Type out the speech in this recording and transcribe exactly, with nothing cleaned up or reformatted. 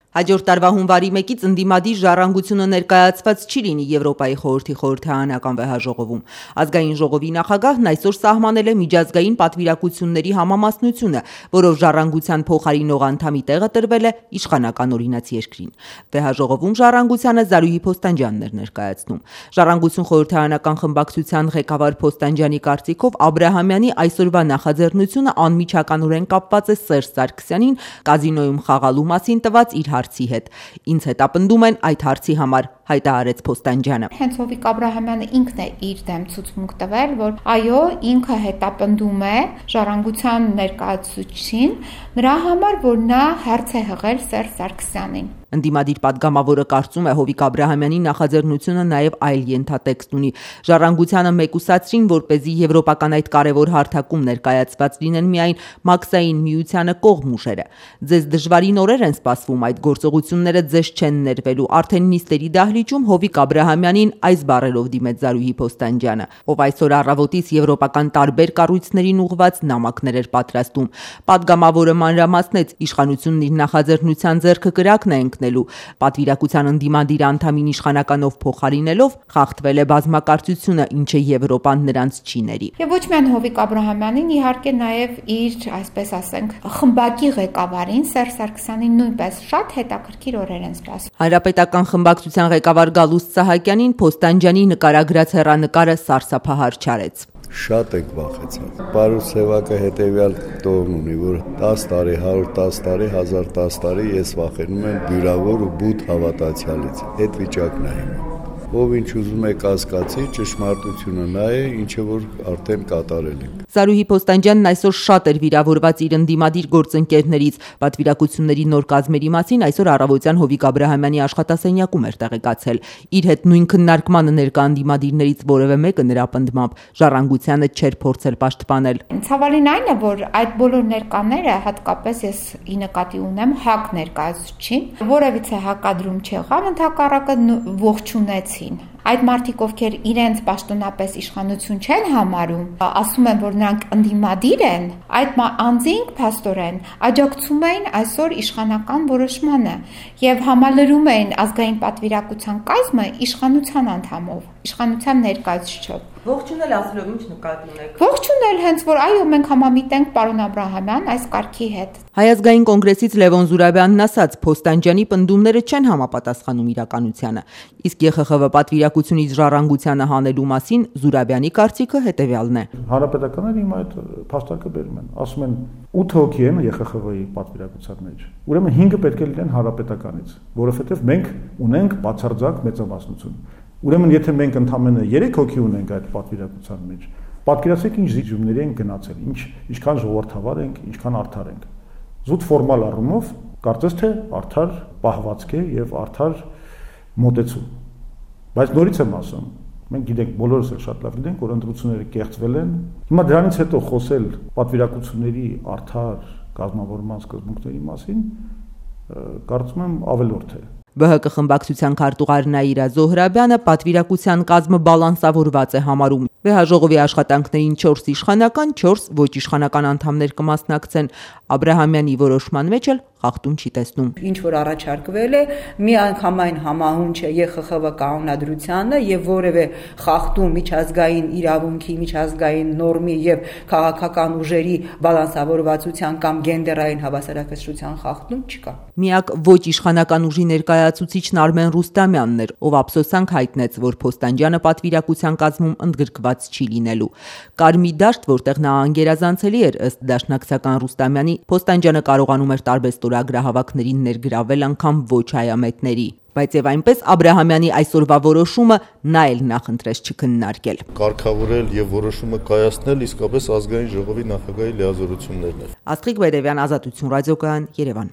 Հաջորդ տարվա հունվարի մեկից ընդդիմադիր ժառանգությունը ներկայացված չի լինի Եվրոպայի խորհրդի խորհրդարանական վեհաժողովում։ Ազգային ժողովի նախագահն այսօր սահմանել է միջազգային պատվիրակությունների համամասնությունը, որով ժառանգության փոխարինող անդամի տեղը տրվել է իշխանական օրինաց երկրին։ Վեհաժողովում ժառանգությանը Զարուհի Փոստանջյանն էր ներկայացնում։ Ժառանգություն խորհրդարանական խմբակցության ղեկավար Փոստանջյանի կարծիքով Աբրահամյանի այսօրվա նախաձեռնությունը անմիջականորեն կապված է Սերժ Սարգսյանին կազինոյում խաղալու մասին տված իր հարցի հետ։ Ինձ հետապնդում են այդ հարցի համար, հայտարարեց Փոստանջյանը։ Հենց Հովիկ Աբրահամյանը ինքն է իր դեմ ցուցմունք տվել, որ այո, ինքը հետապնդում է ժառանգության ներկայացուցչին նրա համար, որ նա հարց է հղել Սերժ Սարգսյանին։ Ընդդիմադիր պատգամավորը կարծում է Հովիկ Աբրահամյանի նախաձեռնությունը նաև այլ ենթատեքստ ունի։ Ժառանգությանը մեկուսացրին, որպեսզի եվրոպական այդ կարևոր հարթակում ներկայացված լինեն միայն մաքսային միությանը կողմ ուժերը։ Ձեզ դժվարին օրեր են սպասվում, այդ գործողությունները ձեզ չեն ներվելու։ Արդեն նիստերի դահլիճում Հովիկ Աբրահամյանին այս բառերով դիմեց Զարուհի Փոստանջյանը, ով այսօր առավոտից եվրոպական տարբեր կառույցներին ուղղված նամակներ էր պատրաստում։ Պատգամավորը մանրամասնեց, իշխանությունն իր նախաձեռնության ձեռքը կրակն է ընկնելու, պատվիրակության ընդդիմադիր անդամին իշխանականով փոխարինելով խախտվել է բազմակարծությունը, ինչը Եվրոպան նրանց չի ների։ Եվ ոչ միայն Հովիկ Աբրահամյանին, իհարկե նաև իր, այսպես ասենք, խմբակի ղեկավարին Սերժ Սարգսյանին նույնպես շատ հետաքրքիր օրեր են սպասում։ Հանրապետական խմբակցության ղեկավար Գալուստ Սահակյանին Փոստանջյանի նկարագրած հեռանկարը սարսափահար չարեց։ Շատ եք վախեցած։ Պարոն Սևակը հետևյալ տողն ունի, որ դես տարի, հարյուր դես տարի, հազար դես տարի ես վախենում եմ բյուրավոր ու բութ հավատացյալից։ Այդ վիճակն է հիմա։ Ով ինչ ուզում է կասկածի, ճշմարտությունը նա է, ինչը որ արդեն կատարել ենք։ Զարուհի Փոստանջյանն այսօր շատ էր վիրավորված իր ընդդիմադիր գործընկերներից։ Պատվիրակությունների նոր կազմերի մասին այսօր առավոտյան Հովիկ Աբրահամյանի աշխատասենյակում էր տեղեկացել։ Իր հետ նույն քննարկմանը ներկա ընդդիմադիրներից որևէ մեկը նրա պնդմամբ ժառանգությանը չէր փորձել պաշտպանել։ Ցավալին այն է, որ այդ բոլոր ներկաները, հատկապես ես ի նկատի ունեմ ՀԱԿ ներկայացուցչին, որևիցե հակադրում չեղավ, ընդհակառակը ողջունեցին։ Այդ մարդիկ, ովքեր իրենց պաշտոնապես իշխանություն չեն համարում, ասում են, որ նրանք ընդդիմադիր են, այդ անձինք փաստորեն աջակցում էին այսօր իշխանական որոշմանը եւ համալրում էին ազգային պատվիրակության կազմը իշխանության անդամով, իշխանության ներկայացուցչով։ Ողջունել ասելով ինչ նկատի ունեք։ Ողջունել հենց որ այո, մենք համամիտենք պարոն Աբրահամյան այս կարգի հետ։ Հայ ազգային կոնգրեսից Լևոն Զուրաբյանն ասաց, Փոստանջյանի պնդումները չեն համապատասխանում իրականությանը։ Իսկ ԵԽԽՎ պատվիրակությունից ժառանգությանը հանելու մասին Զուրաբյանի կարծիքը հետևյալն է։ Հանրապետականները հիմա այդ փաստարկը բերում են, ասում են ութ հոգի են ԵԽԽՎ-ի պատվիրակության մեջ։ Ուրեմն հինգը պետք է լինեն հանրապետականից, որովհետև մենք ունենք բացարձակ մեծամասնություն։ Ուրեմն եթե մենք ընդամենը երեք հոգի ունենք այդ պատվիրակության մեջ, պատկերացրեք ինչ զիջումների են գնացել, ինչ ինչքան ժողովրդավար ենք, ինչքան արդար ենք։ Զուտ ֆորմալ առումով կարծես թե արդար պահվածք է եւ արդար մոտեցում։ Բայց նորից եմ ասում, մենք գիտենք, բոլորս էլ շատ լավ գիտենք, որ ընտրությունները կեղծվել են։ Հիմա դրանից հետո խոսել պատվիրակությունների արդար կազմավորման սկզբունքների մասին, կարծում եմ ավելորդ է։ ԲՀԿ խմբակցության քարտուղար Նաիրա Զոհրաբյանը պատվիրակության կազմը բալանսավորված է համարում։ Վեհաժողովի աշխատանքներին չորս իշխանական, չորս ոչ իշխանական անդամներ կմասնակցեն։ Աբրահամյանի որոշման մեջ էլ խախտում չի տեսնում։ Ինչ որ առաջարկվել է, մի անգամայն համահունչ է ԵԽԽՎ կանոնադրությանը եւ որևէ խախտում միջազգային իրավունքի, միջազգային նորմի եւ քաղաքական ուժերի բալանսավորվածության կամ գենդերային հավասարակշռության խախտում չկա։ Միակ ոչ իշխանական ուժի ներկայացուցիչն Արմեն Ռուստամյանն էր, ով ափսոսանք հայտնեց, որ Փոստանջյանը պատվիրակության կազմում ընդգրկված չի լինելու։ Կար մի դաշտ, որտեղ նա անգերազանցելի էր, ըստ դաշնակցական Ռուստամյանի, Փոստանջյանը կարողանում էր տարբեր ստորագրահավաքներին ներգրավել անգամ ոչ հայամետների։ Բայց եւ այնպես Աբրահամյանի այսօրվա որոշումը նա էլ նախընտրեց չքննարկել։ Կարգավորել եւ որոշումը կայացնել իսկապես ազգային ժողովի նախագահի լիազորություններն են։ Աստղիկ Բերևյան, Ազատություն ռադիոկայան, Երևան։